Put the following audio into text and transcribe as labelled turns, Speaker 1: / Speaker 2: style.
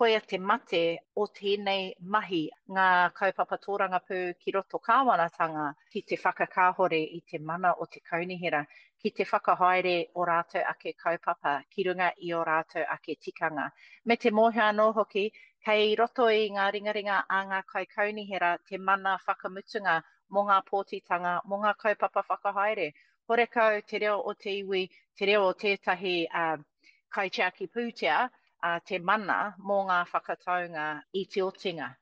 Speaker 1: Koia te mate o tēnei mahi, ngā kaupapa tōrangapū ki roto kāwanatanga ki te whakakāhore i te mana o te kaunihera, ki te whakahaere o rātou ake kaupapa ki runga i ō rātou ake tikanga. Me te mōhio anō hoki, kei roto i ngā ringaringa a ngā kaikaunihera te mana whakamutunga mō ngā pōtitanga, mō ngā kaupapa whakahaere. Horekau te reo o te iwi, te reo o tētahi kaitiaki pūtea, te mana mō ngā whakataunga i te otinga.